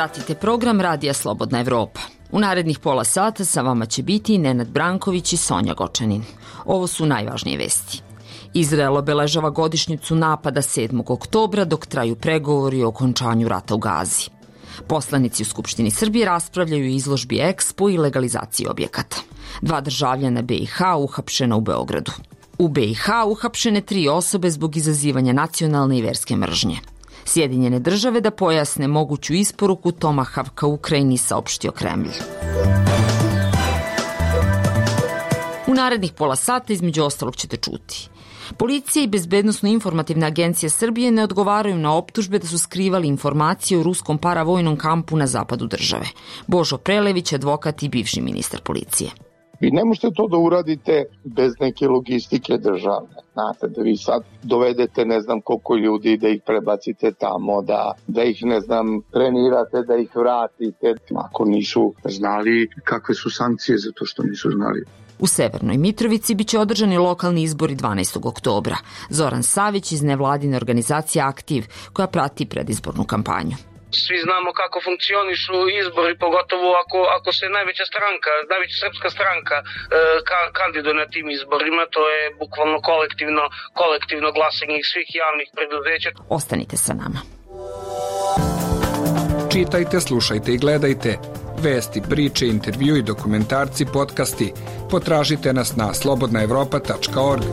Pratite program Radija Slobodna Evropa. U narednih pola sata sa vama će biti Nenad Branković i Sonja Gočanin. Ovo su najvažnije vesti. Izrael obeležava godišnjicu napada 7. oktobra dok traju pregovori o okončanju rata u Gazi. Poslanici u Skupštini Srbije raspravljaju o izložbi Expo i legalizaciji objekata. 2 državljana BiH uhapšena u Beogradu. U BiH uhapšene 3 osobe zbog izazivanja nacionalne i verske mržnje. Sjedinjene države da pojasne moguću isporuku Tomahawka Ukrajini, saopštio Kremlj. U narednih pola sata između ostalog ćete čuti. Policija i Bezbednosno-informativna agencija Srbije ne odgovaraju na optužbe da su skrivali informacije o ruskom paravojnom kampu na zapadu države. Božo Prelević, advokat i bivši ministar policije. Vi ne možete to da uradite bez neke logistike državne. Znate, da vi sad dovedete ne znam koliko ljudi, da ih prebacite tamo, da ih ne znam trenirate, da ih vratite. Ako nisu znali kakve su sankcije za to što nisu znali. U Severnoj Mitrovici biće održani lokalni izbori 12. oktobra. Zoran Savić iz nevladine organizacije Aktiv, koja prati predizbornu kampanju. Svi znamo kako funkcionišu izbori, pogotovo ako se najveća srpska stranka kandiduje na tim izborima, to je bukvalno kolektivno glasanje svih javnih preduzeća. Ostanite sa nama. Čitajte, slušajte i gledajte. Vesti, priče, intervjui, dokumentarci, podcasti. Potražite nas na slobodnaevropa.org.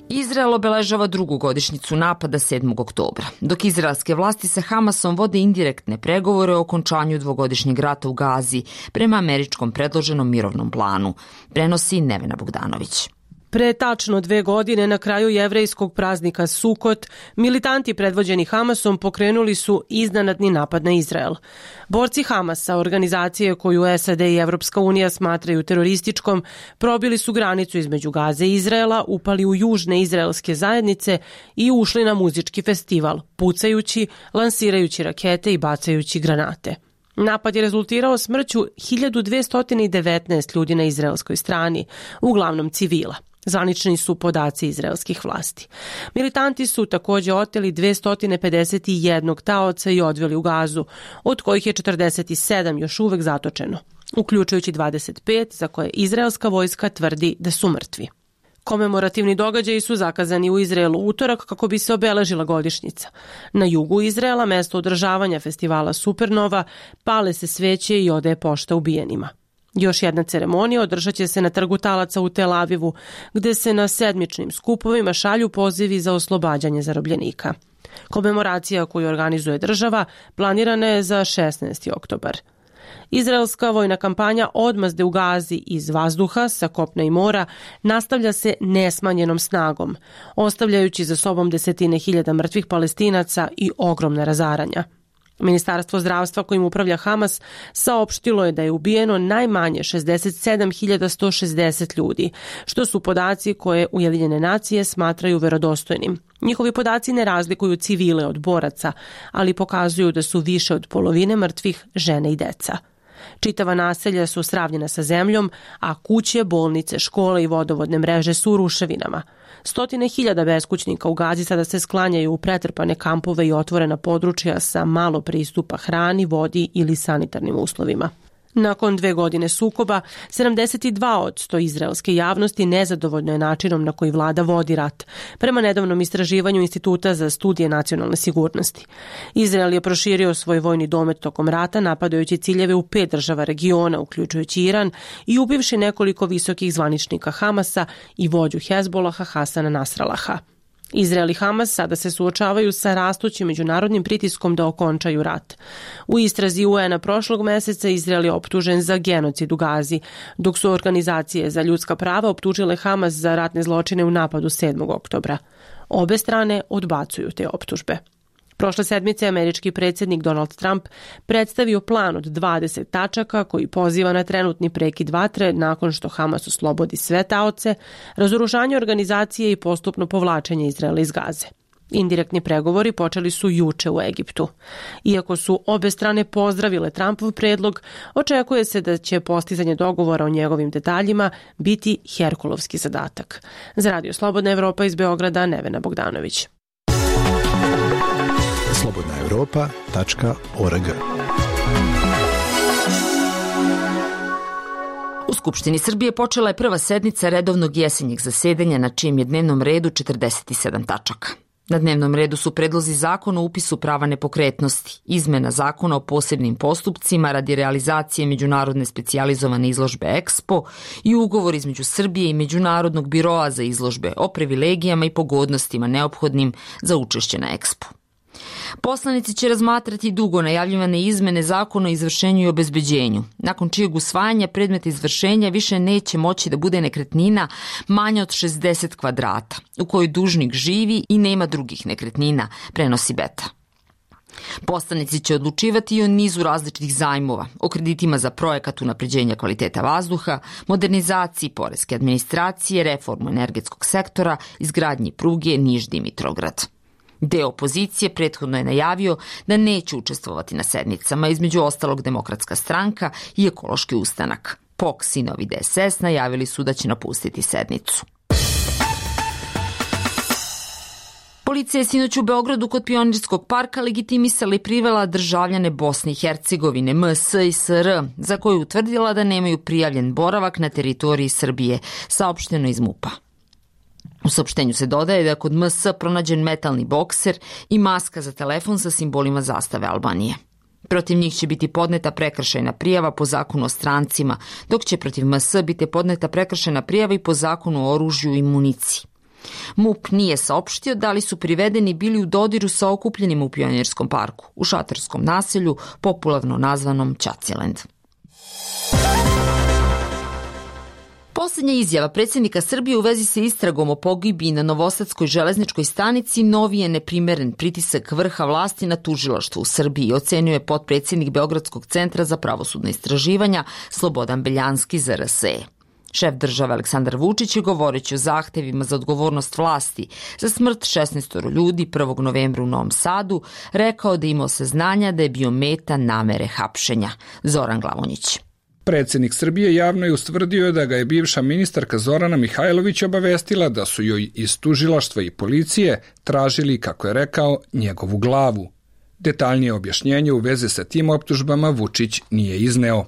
Izrael obeležava 2. godišnjicu napada 7. oktobra, dok izraelske vlasti sa Hamasom vode indirektne pregovore o okončanju 2-godišnjeg rata u Gazi prema američkom predloženom mirovnom planu, prenosi Nevena Bogdanović. Pre tačno 2 godine, na kraju jevrejskog praznika Sukot, militanti predvođeni Hamasom pokrenuli su iznenadni napad na Izrael. Borci Hamasa, organizacije koju SAD i Evropska unija smatraju terorističkom, probili su granicu između Gaze i Izraela, upali u južne izraelske zajednice i ušli na muzički festival, pucajući, lansirajući rakete i bacajući granate. Napad je rezultirao smrću 1219 ljudi na izraelskoj strani, uglavnom civila. Zvanični su podaci izraelskih vlasti. Militanti su također oteli 251 taoca i odveli u Gazu, od kojih je 47 još uvek zatočeno, uključujući 25 za koje izraelska vojska tvrdi da su mrtvi. Komemorativni događaji su zakazani u Izraelu utorak kako bi se obeležila godišnjica. Na jugu Izraela, mesto održavanja festivala Supernova, pale se sveće i odaje pošta ubijenima. Još jedna ceremonija održat će se na Trgu talaca u Tel Avivu, gde se na sedmičnim skupovima šalju pozivi za oslobađanje zarobljenika. Komemoracija koju organizuje država planirana je za 16. oktobar. Izraelska vojna kampanja odmazde u Gazi iz vazduha, sa kopna i mora, nastavlja se nesmanjenom snagom, ostavljajući za sobom desetine hiljada mrtvih Palestinaca i ogromna razaranja. Ministarstvo zdravstva kojim upravlja Hamas saopštilo je da je ubijeno najmanje 67.160 ljudi, što su podaci koje Ujedinjene nacije smatraju verodostojnim. Njihovi podaci ne razlikuju civile od boraca, ali pokazuju da su više od polovine mrtvih žene i deca. Čitava naselja su sravnjena sa zemljom, a kuće, bolnice, škole i vodovodne mreže su u ruševinama. Stotine hiljada beskućnika u Gazi sada se sklanjaju u pretrpane kampove i otvorena područja sa malo pristupa hrani, vodi ili sanitarnim uslovima. Nakon 2 godine sukoba, 72% izraelske javnosti nezadovoljno je načinom na koji vlada vodi rat, prema nedavnom istraživanju Instituta za studije nacionalne sigurnosti. Izrael je proširio svoj vojni domet tokom rata, napadajući ciljeve u 5 država regiona, uključujući Iran, i ubivši nekoliko visokih zvaničnika Hamasa i vođu Hezbolaha Hasana Nasralaha. Izrael i Hamas sada se suočavaju sa rastućim međunarodnim pritiskom da okončaju rat. U istrazi UN-a prošlog meseca Izrael je optužen za genocid u Gazi, dok su organizacije za ljudska prava optužile Hamas za ratne zločine u napadu 7. oktobra. Obe strane odbacuju te optužbe. Prošle sedmice američki predsjednik Donald Trump predstavio plan od 20 tačaka koji poziva na trenutni prekid vatre nakon što Hamas oslobodi sve taoce, razoružanje organizacije i postupno povlačenje Izraela iz Gaze. Indirektni pregovori počeli su juče u Egiptu. Iako su obe strane pozdravile Trumpov predlog, očekuje se da će postizanje dogovora o njegovim detaljima biti herkulovski zadatak. Za Radio Slobodna Evropa iz Beograda, Nevena Bogdanović. slobodnaevropa.org. U Skupštini Srbije počela je prva sednica redovnog jesenjeg zasedanja na čijem je dnevnom redu 47 tačaka. Na dnevnom redu su predlozi zakona o upisu prava nepokretnosti, izmena zakona o posebnim postupcima radi realizacije međunarodne specijalizovane izložbe EXPO i ugovor između Srbije i Međunarodnog biroa za izložbe o privilegijama i pogodnostima neophodnim za učešće na EXPO. Poslanici će razmatrati dugo najavljivane izmene zakona o izvršenju i obezbeđenju, nakon čijeg usvajanja predmet izvršenja više neće moći da bude nekretnina manja od 60 kvadrata, u kojoj dužnik živi i nema drugih nekretnina, prenosi Beta. Poslanici će odlučivati i o nizu različitih zajmova, o kreditima za projekat unapređenja kvaliteta vazduha, modernizaciji poreske administracije, reformu energetskog sektora, izgradnji pruge Niš-Dimitrograd. Deo opozicije prethodno je najavio da neće učestvovati na sednicama, između ostalog Demokratska stranka i Ekološki ustanak. POKS i Novi DSS najavili su da će napustiti sednicu. Policija je sinoć u Beogradu kod Pionirskog parka legitimisala i privela državljane Bosne i Hercegovine, MS i SR, za koju utvrdila da nemaju prijavljen boravak na teritoriji Srbije, saopšteno iz MUP-a. U saopštenju se dodaje da je kod MS pronađen metalni bokser i maska za telefon sa simbolima zastave Albanije. Protiv njih će biti podneta prekršajna prijava po zakonu o strancima, dok će protiv MS biti podneta prekršajna prijava i po zakonu o oružju i municiji. MUP nije saopštio da li su privedeni bili u dodiru sa okupljenima u Pionirskom parku, u šatorskom naselju, popularno nazvanom Ćaciland. Poslednja izjava predsjednika Srbije u vezi sa istragom o pogibiji na Novosadskoj železničkoj stanici novi je neprimeren pritisak vrha vlasti na tužilaštvo u Srbiji, ocenio je potpredsjednik Beogradskog centra za pravosudna istraživanja Slobodan Beljanski za RSE. Šef države Aleksandar Vučić je govoreći o zahtevima za odgovornost vlasti za smrt 16 ljudi 1. novembra u Novom Sadu rekao da je imao saznanja da je bio meta namere hapšenja. Zoran Glavonjić. Predsjednik Srbije javno je ustvrdio da ga je bivša ministarka Zorana Mihajlović obavestila da su joj iz tužilaštva i policije tražili, kako je rekao, njegovu glavu. Detaljnije objašnjenje u vezi sa tim optužbama Vučić nije izneo.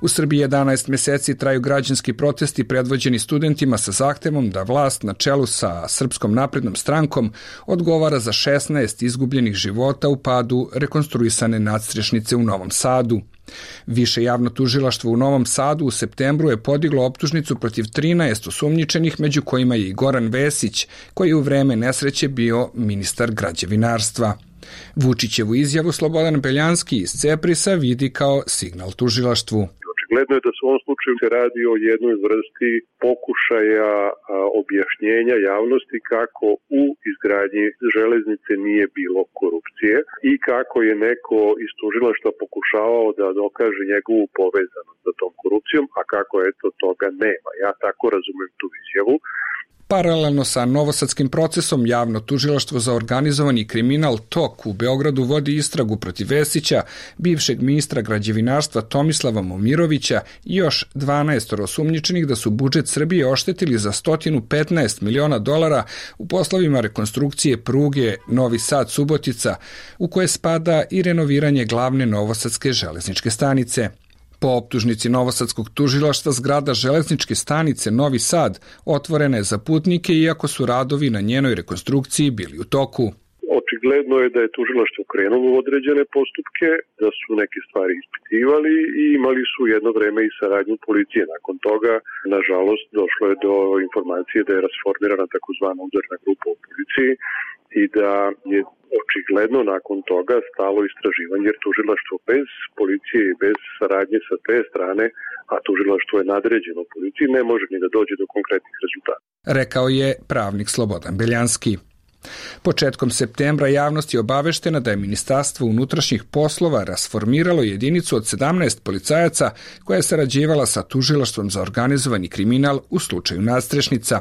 U Srbiji 11 meseci traju građanski protesti predvođeni studentima sa zahtevom da vlast na čelu sa Srpskom naprednom strankom odgovara za 16 izgubljenih života u padu rekonstruisane nadstrešnice u Novom Sadu. Više javno tužilaštvo u Novom Sadu u septembru je podiglo optužnicu protiv 13 osumnjičenih, među kojima je i Goran Vesić, koji je u vreme nesreće bio ministar građevinarstva. Vučićevu izjavu Slobodan Beljanski iz Ceprisa vidi kao signal tužilaštvu. Očigledno je da se u ovom slučaju se radi o jednoj vrsti pokušaja objašnjenja javnosti kako u izgradnji železnice nije bilo korupcije i kako je neko iz tužilaštva pokušavao da dokaže njegovu povezanost sa tom korupcijom, a kako eto toga nema. Ja tako razumem tu izjavu. Paralelno sa novosadskim procesom, javno tužilaštvo za organizovani kriminal TOK u Beogradu vodi istragu protiv Vesića, bivšeg ministra građevinarstva Tomislava Momirovića i još 12 osumnjičenih da su budžet Srbije oštetili za $115 miliona u poslovima rekonstrukcije pruge Novi Sad-Subotica, u koje spada i renoviranje glavne novosadske železničke stanice. Po optužnici novosadskog tužilaštva zgrada železničke stanice Novi Sad otvorena je za putnike, iako su radovi na njenoj rekonstrukciji bili u toku. Očigledno je da je tužilaštvo krenulo u određene postupke, da su neke stvari ispitivali i imali su jedno vreme i saradnju policije. Nakon toga, nažalost, došlo je do informacije da je rasformirana takozvana udarna grupa u policiji i da je očigledno nakon toga stalo istraživanje, jer tužilaštvo bez policije i bez saradnje sa te strane, a tužilaštvo je nadređeno policiji, ne može ni da dođe do konkretnih rezultata. Rekao je pravnik Slobodan Beljanski. Početkom septembra javnost je obaveštena da je Ministarstvo unutrašnjih poslova rasformiralo jedinicu od 17 policajaca koja je sarađivala sa tužilaštvom za organizovani kriminal u slučaju nadstrešnica.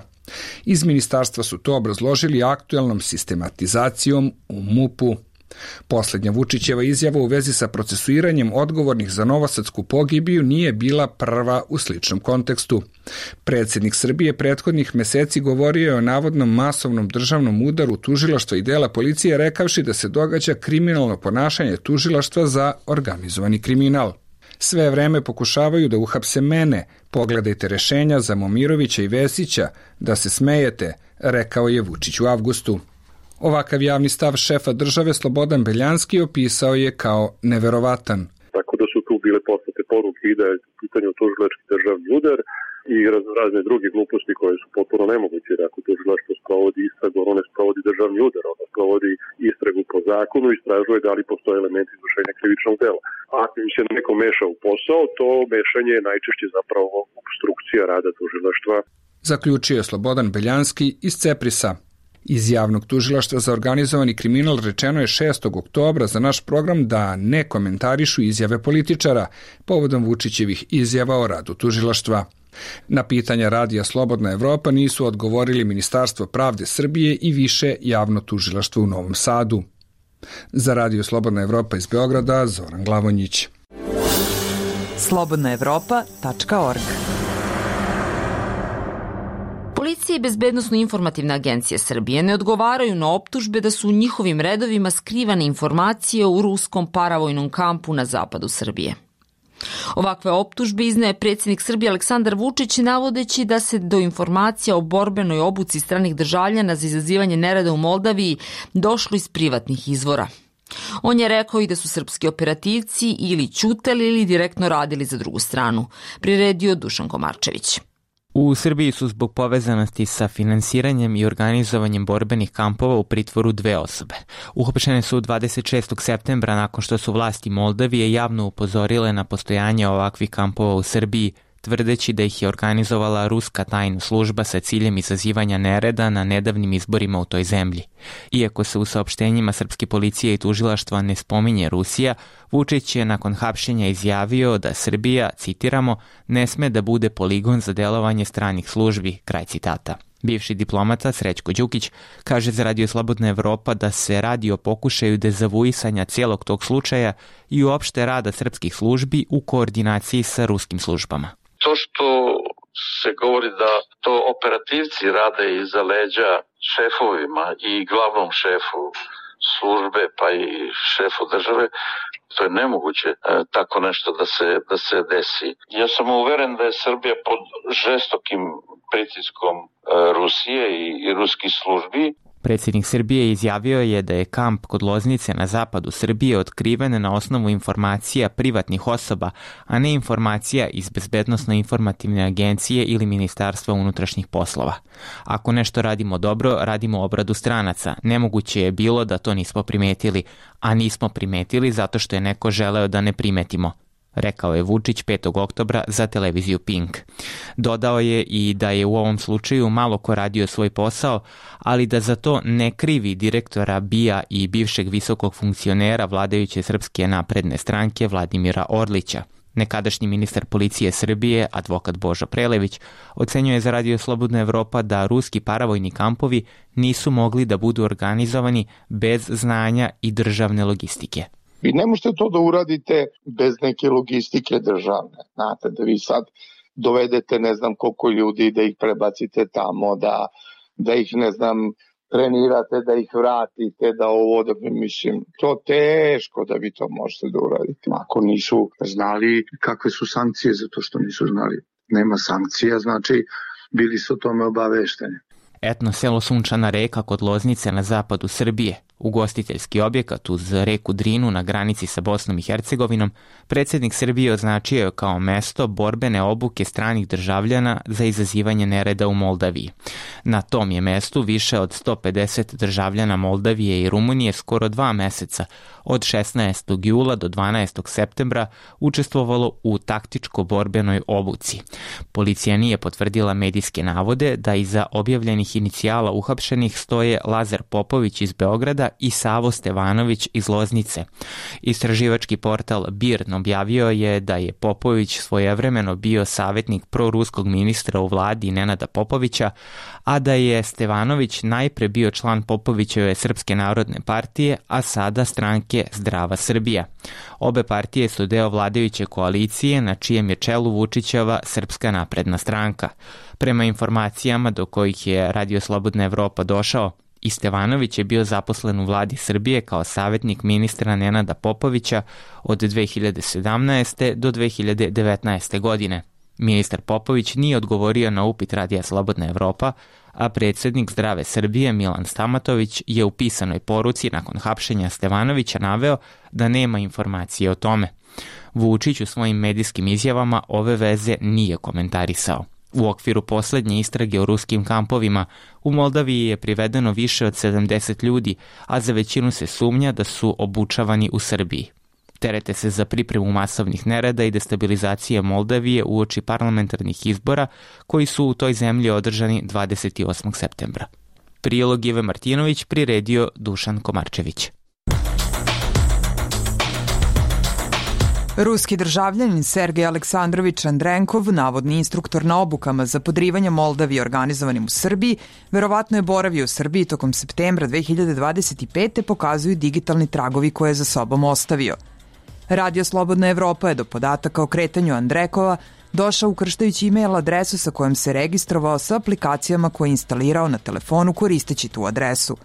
Iz ministarstva su to obrazložili aktuelnom sistematizacijom u MUP-u. Posljednja Vučićeva izjava u vezi sa procesuiranjem odgovornih za novosadsku pogibiju nije bila prva u sličnom kontekstu. Predsjednik Srbije prethodnih meseci govorio je o navodnom masovnom državnom udaru tužilaštva i dela policije, rekavši da se događa kriminalno ponašanje tužilaštva za organizovani kriminal. Sve vreme pokušavaju da uhapse mene, pogledajte rešenja za Momirovića i Vesića, da se smejete, rekao je Vučić u avgustu. Ovakav javni stav šefa države Slobodan Beljanski opisao je kao neverovatan. Tako da su tu bile poslate poruke i da je u pitanju tužilački državni udar i razne druge gluposti koje su potpuno nemoguće. Ako tužilaštvo sprovodi istragu, ono ne sprovodi državni udar, ono sprovodi istragu po zakonu i istražuje da li postoje elementi izvršenja krivičnog dela. Ako im se neko meša u posao, to mešanje je najčešće zapravo obstrukcija rada tužilaštva. Zaključio je Slobodan Beljanski iz Ceprisa. Iz javnog tužilaštva za organizovani kriminal rečeno je 6. oktobra za naš program da ne komentarišu izjave političara povodom Vučićevih izjava o radu tužilaštva. Na pitanja radija Slobodna Evropa nisu odgovorili Ministarstvo pravde Srbije i više javno tužilaštvo u Novom Sadu. Za radio Slobodna Evropa iz Beograda, Zoran Glavonjić. slobodnaevropa.org. Policija i Bezbednosno-informativna agencija Srbije ne odgovaraju na optužbe da su u njihovim redovima skrivane informacije u ruskom paravojnom kampu na zapadu Srbije. Ovakve optužbe izneo je predsjednik Srbije Aleksandar Vučić, navodeći da se do informacija o borbenoj obuci stranih državljana za izazivanje nereda u Moldaviji došlo iz privatnih izvora. On je rekao i da su srpski operativci ili ćutali ili direktno radili za drugu stranu, priredio Dušan Komarčević. U Srbiji su zbog povezanosti sa finansiranjem i organizovanjem borbenih kampova u pritvoru 2 osobe. Uhapšene su 26. septembra nakon što su vlasti Moldavije javno upozorile na postojanje ovakvih kampova u Srbiji, tvrdeći da ih je organizovala ruska tajna služba sa ciljem izazivanja nereda na nedavnim izborima u toj zemlji. Iako se u saopštenjima srpske policije i tužilaštva ne spominje Rusija, Vučić je nakon hapšenja izjavio da Srbija, citiramo, ne sme da bude poligon za delovanje stranih službi, kraj citata. Bivši diplomata Srećko Đukić kaže za Radio Slobodna Evropa da se radi o pokušaju dezavuisanja cijelog tog slučaja i uopšte rada srpskih službi u koordinaciji sa ruskim službama. To što se govori da to operativci rade iza leđa šefovima i glavnom šefu službe pa i šefu države, to je nemoguće tako nešto da se desi. Ja sam uveren da je Srbija pod žestokim pritiskom Rusije i ruskih službi. Predsjednik Srbije izjavio je da je kamp kod Loznice na zapadu Srbije otkriven na osnovu informacija privatnih osoba, a ne informacija iz Bezbednosno-informativne agencije ili Ministarstva unutrašnjih poslova. Ako nešto radimo dobro, radimo obradu stranaca. Nemoguće je bilo da to nismo primetili, a nismo primetili zato što je neko želeo da ne primetimo, rekao je Vučić 5. oktobra za televiziju Pink. Dodao je i da je u ovom slučaju malo ko radio svoj posao, ali da za to ne krivi direktora BIA i bivšeg visokog funkcionera vladajuće Srpske napredne stranke Vladimira Orlića. Nekadašnji ministar policije Srbije, advokat Božo Prelević, ocenjuje za Radio Slobodna Evropa da ruski paravojni kampovi nisu mogli da budu organizovani bez znanja i državne logistike. Vi ne možete to da uradite bez neke logistike državne. Znate, da vi sad dovedete ne znam koliko ljudi, da ih prebacite tamo, da ih ne znam trenirate, da ih vratite, da ovo, da mislim, to teško da vi to možete da uradite. Ako nisu znali kakve su sankcije za to što nisu znali. Nema sankcija, znači bili su o tome obavešteni. Etno selo Sunčana Reka kod Loznice na zapadu Srbije, ugostiteljski objekat uz reku Drinu na granici sa Bosnom i Hercegovinom, predsjednik Srbije označio je kao mesto borbene obuke stranih državljana za izazivanje nereda u Moldaviji. Na tom je mestu više od 150 državljana Moldavije i Rumunije skoro 2 meseca, od 16. jula do 12. septembra, učestvovalo u taktičko-borbenoj obuci. Policija nije potvrdila medijske navode da iza objavljenih inicijala uhapšenih stoje Lazar Popović iz Beograda i Savo Stevanović iz Loznice. Istraživački portal BIRN objavio je da je Popović svojevremeno bio savjetnik proruskog ministra u vladi Nenada Popovića, a da je Stevanović najpre bio član Popovićeve Srpske narodne partije, a sada stranke Zdrava Srbija. Obe partije su deo vladajuće koalicije na čijem je čelu Vučićeva Srpska napredna stranka. Prema informacijama do kojih je Radio Slobodna Evropa došao, i Stevanović je bio zaposlen u vladi Srbije kao savjetnik ministra Nenada Popovića od 2017. do 2019. godine. Ministar Popović nije odgovorio na upit Radija Slobodna Evropa, a predsjednik Zdrave Srbije Milan Stamatović je u pisanoj poruci nakon hapšenja Stevanovića naveo da nema informacije o tome. Vučić u svojim medijskim izjavama ove veze nije komentarisao. U okviru posljednje istrage o ruskim kampovima u Moldaviji je privedeno više od 70 ljudi, a za većinu se sumnja da su obučavani u Srbiji. Terete se za pripremu masovnih nereda i destabilizacije Moldavije uoči parlamentarnih izbora koji su u toj zemlji održani 28. septembra. Prilog Ive Martinović priredio Dušan Komarčević. Ruski državljanin Sergej Aleksandrović Andrenkov, navodni instruktor na obukama za podrivanje Moldavije organizovanim u Srbiji, verovatno je boravio u Srbiji tokom septembra 2025. pokazuju digitalni tragovi koje je za sobom ostavio. Radio Slobodna Evropa je do podataka o kretanju Andrekova došao ukrštajući e-mail adresu sa kojom se registrovao sa aplikacijama koje je instalirao na telefonu koristeći tu adresu.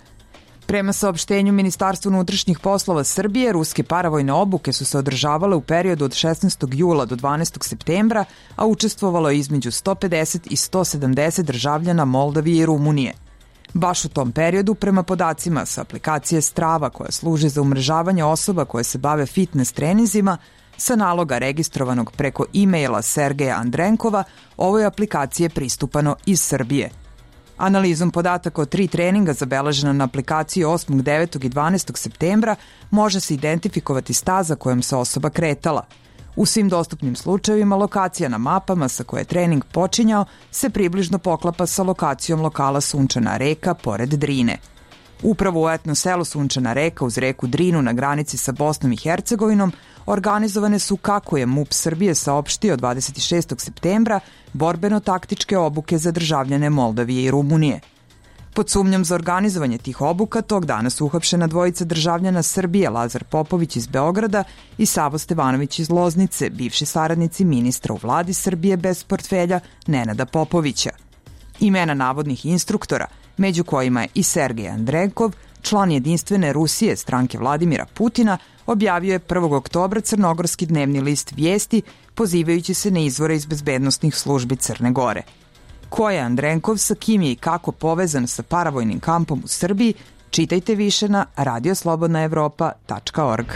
Prema saopštenju Ministarstva unutrašnjih poslova Srbije, ruske paravojne obuke su se održavale u periodu od 16. jula do 12. septembra, a učestvovalo je između 150 i 170 državljana Moldavije i Rumunije. Baš u tom periodu, prema podacima sa aplikacije Strava, koja služi za umrežavanje osoba koje se bave fitness treninzima, sa naloga registrovanog preko e-maila Sergeja Andrenkova, ovoj aplikaciji je pristupano iz Srbije. Analizom podataka o 3 treninga zabeležena na aplikaciji 8., 9. i 12. septembra može se identifikovati staza kojom se osoba kretala. U svim dostupnim slučajevima lokacija na mapama sa koje je trening počinjao se približno poklapa sa lokacijom lokala Sunčana reka pored Drine. Upravo u etno selu Sunčana reka uz reku Drinu na granici sa Bosnom i Hercegovinom organizovane su, kako je MUP Srbije saopštio 26. septembra, borbeno-taktičke obuke za državljane Moldavije i Rumunije. Pod sumnjom za organizovanje tih obuka tog dana su uhapšena dvojica državljana Srbije, Lazar Popović iz Beograda i Savo Stevanović iz Loznice, bivši saradnici ministra u vladi Srbije bez portfelja Nenada Popovića. Imena navodnih instruktora, među kojima je i Sergej Andrenkov, član jedinstvene Rusije stranke Vladimira Putina, objavio je 1. oktobra crnogorski dnevni list Vijesti, pozivajući se na izvore iz bezbednostnih službi Crne Gore. Ko je Andrenkov, sa kim je i kako povezan sa paravojnim kampom u Srbiji, čitajte više na radioslobodnaevropa.org.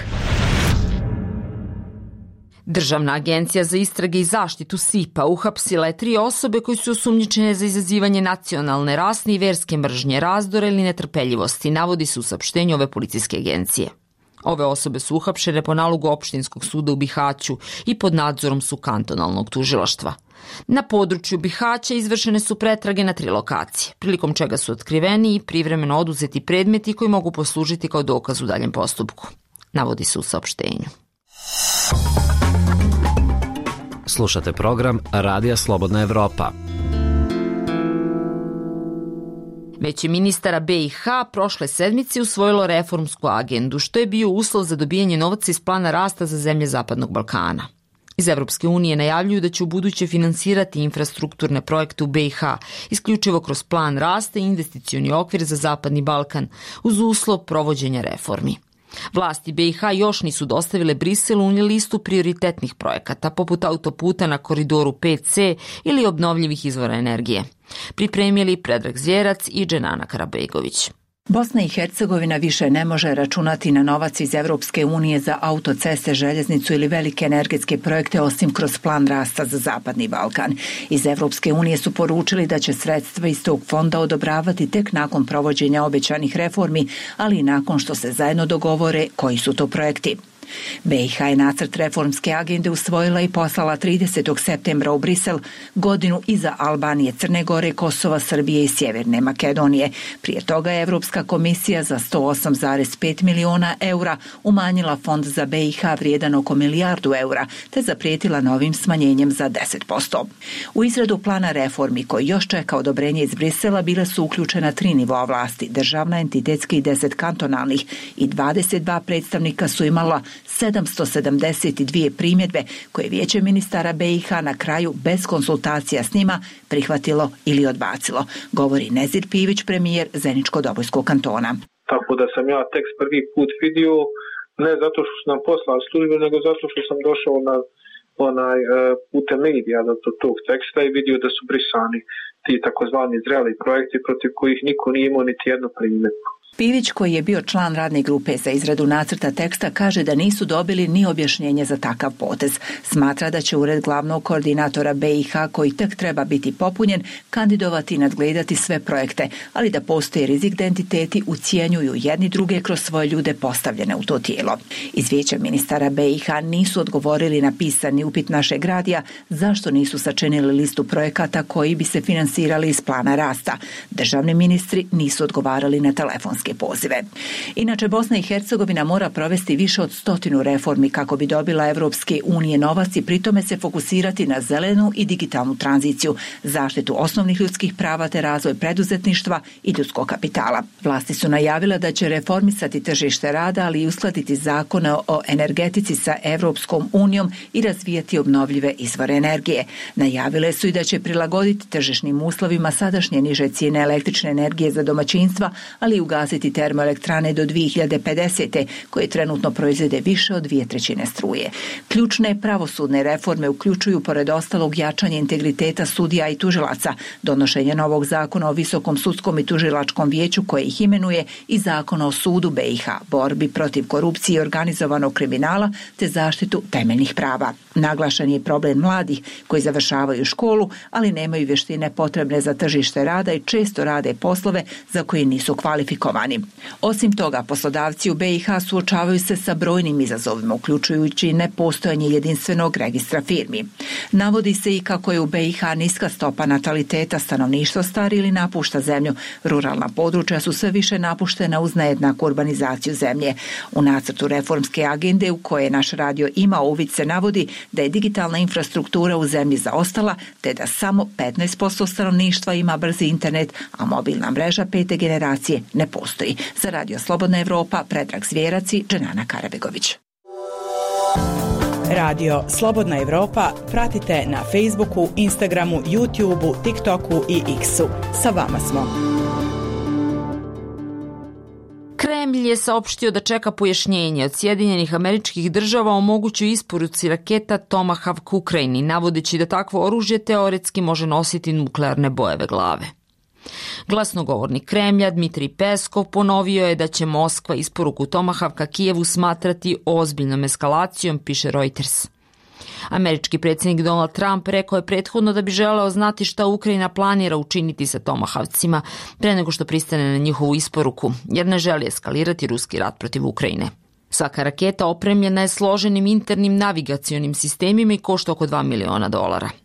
Državna agencija za istrage i zaštitu SIPA uhapsila je 3 osobe koji su osumnjičene za izazivanje nacionalne, rasne i verske mržnje, razdora ili netrpeljivosti, navodi se u saopštenju ove policijske agencije. Ove osobe su uhapšene po nalogu opštinskog suda u Bihaću i pod nadzorom su kantonalnog tužilaštva. Na području Bihaća izvršene su pretrage na 3 lokacije, prilikom čega su otkriveni i privremeno oduzeti predmeti koji mogu poslužiti kao dokaz u daljem postupku, navodi se u saopštenju. Slušate program Radija Slobodna Evropa. Veće ministara BiH prošle sedmice usvojilo reformsku agendu, što je bio uslov za dobijanje novaca iz plana rasta za zemlje Zapadnog Balkana. Iz Evropske unije najavljuju da će u buduće finansirati infrastrukturne projekte u BiH, isključivo kroz plan rasta i investicioni okvir za Zapadni Balkan, uz uslov provođenja reformi. Vlasti BiH još nisu dostavile Briselu ni listu prioritetnih projekata, poput autoputa na koridoru 5C ili obnovljivih izvora energije. Pripremili Predrag Zvjerac i Dženana Karabegović. Bosna i Hercegovina više ne može računati na novac iz Evropske unije za autoceste, željeznicu ili velike energetske projekte osim kroz plan rasta za Zapadni Balkan. Iz Evropske unije su poručili da će sredstva iz tog fonda odobravati tek nakon provođenja obećanih reformi, ali i nakon što se zajedno dogovore koji su to projekti. BiH je nacrt reformske agende usvojila i poslala 30. septembra u Brisel, godinu iza Albanije, Crne Gore, Kosova, Srbije i Sjeverne Makedonije. Prije toga je Evropska komisija za 108,5 miliona eura umanjila fond za BiH vrijedan oko milijardu eura, te zaprijetila novim smanjenjem za 10%. U izradu plana reformi, koji još čeka odobrenje iz Brisela, bile su uključena 3 nivoa vlasti, državna, entitetski i 10 kantonalnih, i 22 predstavnika su imala 772 primjedbe koje Vijeće ministara BiH na kraju bez konsultacija s njima prihvatilo ili odbacilo, govori Nezir Pivić, premijer Zeničko-Dobojskog kantona. Tako da sam ja tekst prvi put vidio, ne zato što su nam poslali službe, nego zato što sam došao na putem medija do tog teksta i vidio da su brisani ti takozvani zreli projekti protiv kojih niko nije imao niti jednu primjedbu. Pivić, koji je bio član radne grupe za izradu nacrta teksta, kaže da nisu dobili ni objašnjenje za takav potez. Smatra da će ured glavnog koordinatora BiH, koji tek treba biti popunjen, kandidovati i nadgledati sve projekte, ali da postoji rizik da entiteti ucijenjuju jedni druge kroz svoje ljude postavljene u to tijelo. Iz Vijeća ministara BiH nisu odgovorili na pisani upit našeg radija zašto nisu sačinili listu projekata koji bi se finansirali iz plana rasta. Državni ministri nisu odgovarali na telefonske pozive. Inače, Bosna i Hercegovina mora provesti više od 100 reformi kako bi dobila Evropske unije novac i pritome se fokusirati na zelenu i digitalnu tranziciju, zaštitu osnovnih ljudskih prava te razvoj preduzetništva i ljudskog kapitala. Vlasti su najavile da će reformisati tržište rada, ali i uskladiti zakone o energetici sa Evropskom unijom i razvijati obnovljive izvore energije. Najavile su i da će prilagoditi tržišnim uslovima sadašnje niže cijene električne energije za domaćinstva, ali i ugasiti termoelektrane do 2050. koje trenutno proizvede više od 2/3 struje. Ključne pravosudne reforme uključuju pored ostalog jačanje integriteta sudija i tužilaca, donošenje novog zakona o Visokom sudskom i tužilačkom vijeću koje ih imenuje i zakona o sudu BiH, borbi protiv korupcije i organizovanog kriminala te zaštitu temeljnih prava. Naglašen je problem mladih koji završavaju školu, ali nemaju vještine potrebne za tržište rada i često rade poslove za koje nisu kvalifikovani. Osim toga, poslodavci u BiH suočavaju se sa brojnim izazovima, uključujući nepostojanje jedinstvenog registra firmi. Navodi se i kako je u BiH niska stopa nataliteta, stanovništvo stari ili napušta zemlju. Ruralna područja su sve više napuštena uz nejednaku urbanizaciju zemlje. U nacrtu reformske agende u koje naš radio ima uvid se navodi da je digitalna infrastruktura u zemlji zaostala, te da samo 15% stanovništva ima brzi internet, a mobilna mreža 5. generacije ne postoji. Za Radio Slobodna Evropa, Predrag Zvjerac i Dženana Karabegović. Radio Slobodna Evropa pratite na Facebooku, Instagramu, YouTubeu, TikToku i X-u. Sa vama smo. Kremlj je saopštio da čeka pojašnjenje od Sjedinjenih Američkih Država o mogućoj isporuci raketa Tomahawk Ukrajini, navodeći da takvo oružje teoretski može nositi nuklearne bojeve glave. Glasnogovornik Kremlja Dmitrij Peskov ponovio je da će Moskva isporuku Tomahawka Kijevu smatrati ozbiljnom eskalacijom, piše Reuters. Američki predsjednik Donald Trump rekao je prethodno da bi želeo znati šta Ukrajina planira učiniti sa Tomahawcima pre nego što pristane na njihovu isporuku, jer ne želi eskalirati ruski rat protiv Ukrajine. Svaka raketa opremljena je složenim internim navigacionim sistemima i košta oko $2 miliona.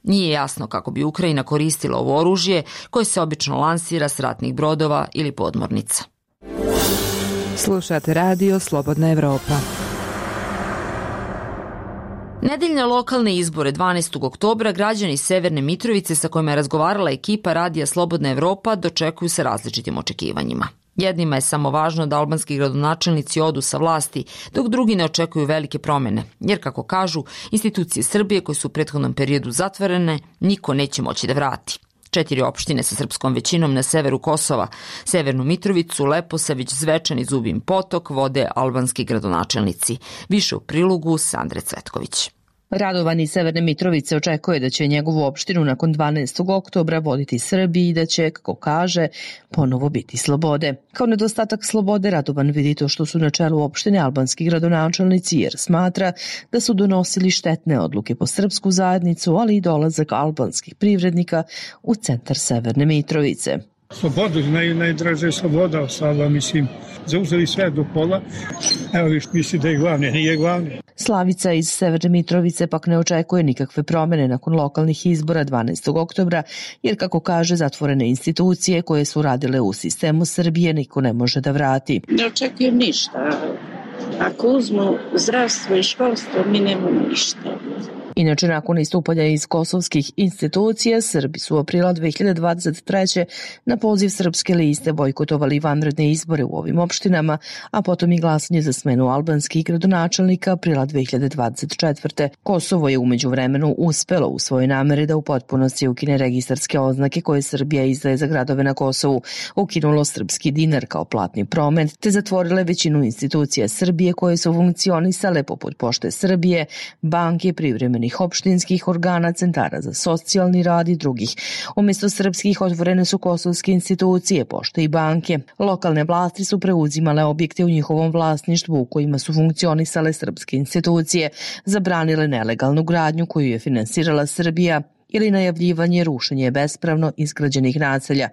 Nije jasno kako bi Ukrajina koristila ovo oružje koje se obično lansira s ratnih brodova ili podmornica. Slušate radio Slobodna Evropa. Nedeljne lokalne izbore 12. oktobra građani Severne Mitrovice sa kojima je razgovarala ekipa radija Slobodna Evropa dočekuju se različitim očekivanjima. Jednima je samo važno da albanski gradonačelnici odu sa vlasti, dok drugi ne očekuju velike promjene, jer kako kažu, institucije Srbije koje su u prethodnom periodu zatvorene, niko neće moći da vrati. 4 opštine sa srpskom većinom na severu Kosova, Severnu Mitrovicu, Leposavić, Zvečan i Zubin Potok vode albanski gradonačelnici. Više u prilogu Sandre Cvetković. Radovan iz Severne Mitrovice očekuje da će njegovu opštinu nakon 12. oktobra voditi Srbiji i da će, kako kaže, ponovo biti slobode. Kao nedostatak slobode Radovan vidi to što su na čelu opštine albanski gradonačelnici jer smatra da su donosili štetne odluke po srpsku zajednicu, ali i dolazak albanskih privrednika u centar Severne Mitrovice. Slobodu, najdraže je sloboda sada, mislim, zauzeli sve do pola. Evo viš, misli da je glavni, nije glavni. Slavica iz Severne Mitrovice pak ne očekuje nikakve promene nakon lokalnih izbora 12. oktobra, jer kako kaže, zatvorene institucije koje su radile u sistemu Srbije niko ne može da vrati. Ne očekujem ništa. Ako uzmu zdravstvo i školstvo, mi nemamo ništa. Inače, nakon istupanja iz kosovskih institucija, Srbi su aprila 2023. na poziv Srpske liste bojkotovali vanredne izbore u ovim opštinama, a potom i glasanje za smenu albanskih gradonačelnika aprila 2024. Kosovo je umeđu vremenu uspelo u svojoj nameri da u potpunosti ukine registarske oznake koje Srbija izdaje za gradove na Kosovu, ukinulo srpski dinar kao platni promet, te zatvorile većinu institucija Srbije koje su funkcionisale poput Pošte Srbije, banke, privremenih opštinskih organa, centara za socijalni rad i drugih. Umjesto srpskih otvorene su kosovske institucije, pošte i banke. Lokalne vlasti su preuzimale objekte u njihovom vlasništvu u kojima su funkcionisale srpske institucije, zabranile nelegalnu gradnju koju je finansirala Srbija ili najavljivanje rušenje bespravno izgrađenih naselja.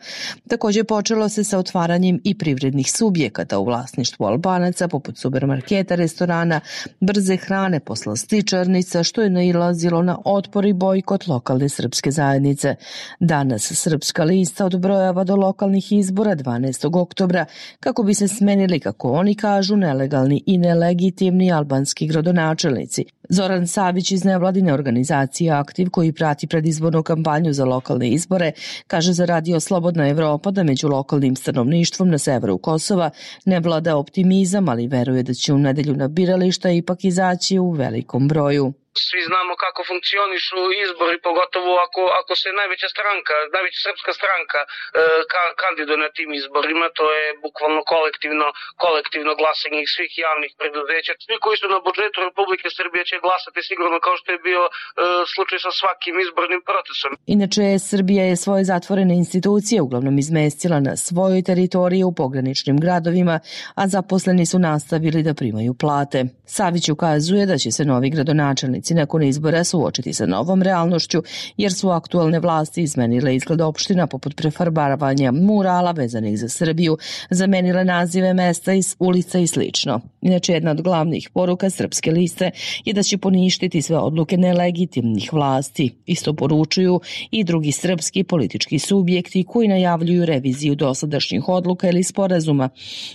Također počelo se sa otvaranjem i privrednih subjekata u vlasništvu Albanaca, poput supermarketa, restorana, brze hrane, poslastičarnica, što je nailazilo na otpor i bojkot lokalne srpske zajednice. Danas Srpska lista odbrojava do lokalnih izbora 12. oktobra kako bi se smenili, kako oni kažu, nelegalni i nelegitimni albanski gradonačelnici. Zoran Savić iz nevladine organizacije Aktiv, koji prati predizbornu kampanju za lokalne izbore, kaže za Radio Slobodna Evropa da među lokalnim stanovništvom na severu Kosova ne vlada optimizam, ali veruje da će u nedelju na birališta ipak izaći u velikom broju. Svi znamo kako funkcionišu izbori, pogotovo ako se najveća srpska stranka kandiduje na tim izborima, to je bukvalno kolektivno glasanje svih javnih preduzeća. Svi koji su na budžetu Republike Srbije će glasati sigurno, kao što je bio slučaj sa svakim izbornim procesom. Inače, Srbija je svoje zatvorene institucije uglavnom izmestila na svojoj teritoriji u pograničnim gradovima, a zaposleni su nastavili da primaju plate. Savić ukazuje da će se novi gradonačelnici nakon izbora suočiti sa novom realnošću, jer su aktualne vlasti izmenile izgled opština poput prefarbaravanja murala vezanih za Srbiju, zamenile nazive mesta iz ulica i slično. Inače, jedna od glavnih poruka Srpske liste je da će poništiti sve odluke nelegitimnih vlasti. Isto poručuju i drugi srpski politički subjekti koji najavljuju reviziju dosadašnjih odluka ili sporazuma.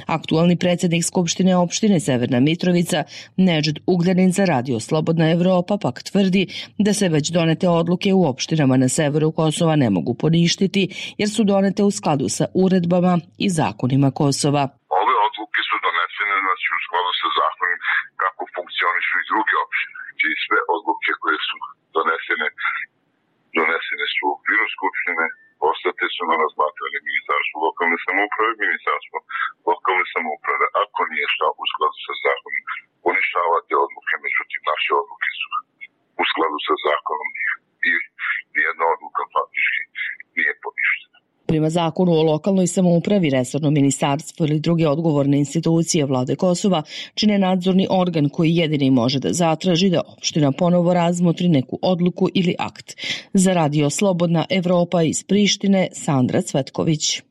Aktualni predsjednik Skupštine opštine Severna Mitrovica, Nedžd Ugljanin za Radio Slobodna Evropa pak tvrdi da se već donete odluke u opštinama na severu Kosova ne mogu poništiti jer su donete u skladu sa uredbama i zakonima Kosova. Ove odluke su donesene u skladu sa zakonom kako funkcionišu i druge opštine. Znači sve odluke koje su donesene su u okviru Skupštine, ostate su na razmatranje Ministarstvo lokalne samouprave, Ministarstvo lokalne samouprave. Ako nije šta u skladu sa zakonom, poništavate odluke, međutim naše odluke su u skladu sa zakonom i nijedna odluka faktički nije poništena. Prema zakonu o lokalnoj samoupravi, resorno ministarstvo ili druge odgovorne institucije vlade Kosova čine nadzorni organ koji jedini može da zatraži da opština ponovo razmotri neku odluku ili akt. Za Radio Slobodna Evropa iz Prištine, Sandra Cvetković.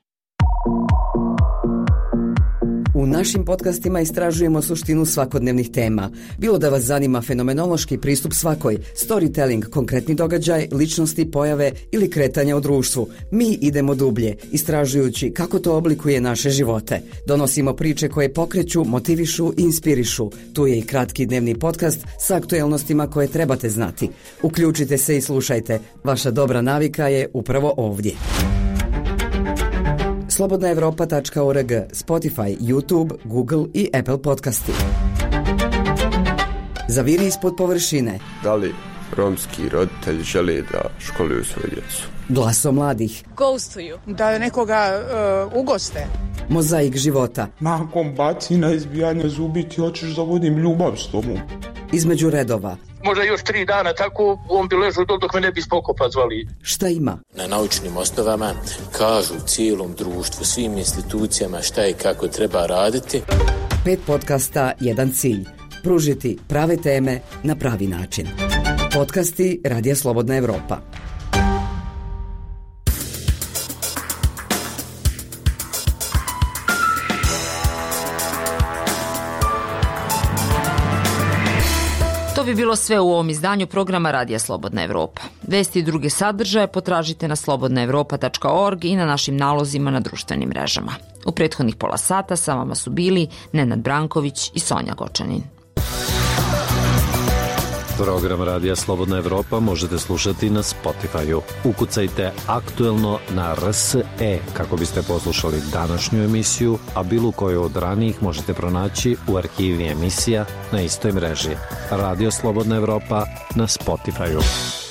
U našim podcastima istražujemo suštinu svakodnevnih tema. Bilo da vas zanima fenomenološki pristup svakoj, storytelling, konkretni događaj, ličnosti, pojave ili kretanja u društvu. Mi idemo dublje, istražujući kako to oblikuje naše živote. Donosimo priče koje pokreću, motivišu i inspirišu. Tu je i kratki dnevni podcast sa aktuelnostima koje trebate znati. Uključite se i slušajte. Vaša dobra navika je upravo ovdje. slobodnaevropa.org, Spotify, YouTube, Google i Apple podcasti. Zaviri ispod površine. Da li romski roditelji žele da školuju svoju djecu? Glaso mladih. Ghostuju. Da nekoga ugoste. Mozaik života. Nakon bacina, izbijanja zubi ti hoćeš da vodim ljubav s tobom. Između redova. Možda još 3 dana tako on bi ležao dok me ne bi Spokopa zvali. Šta ima? Na naučnim osnovama kažu cijelom društvu, svim institucijama šta i kako treba raditi. 5 podcasta, 1 cilj. Pružiti prave teme na pravi način. Podcasti Radija Slobodna Evropa. To bi bilo sve u ovom izdanju programa Radija Slobodna Evropa. Vesti i druge sadržaje potražite na slobodnaevropa.org i na našim nalozima na društvenim mrežama. U prethodnih pola sata sa vama su bili Nenad Branković i Sonja Gočanin. Program Radija Slobodna Evropa možete slušati na Spotify-u. Ukucajte Aktuelno na RSE kako biste poslušali današnju emisiju, a bilo koju od ranijih možete pronaći u arhivi emisija na istoj mreži. Radio Slobodna Evropa na Spotify-u.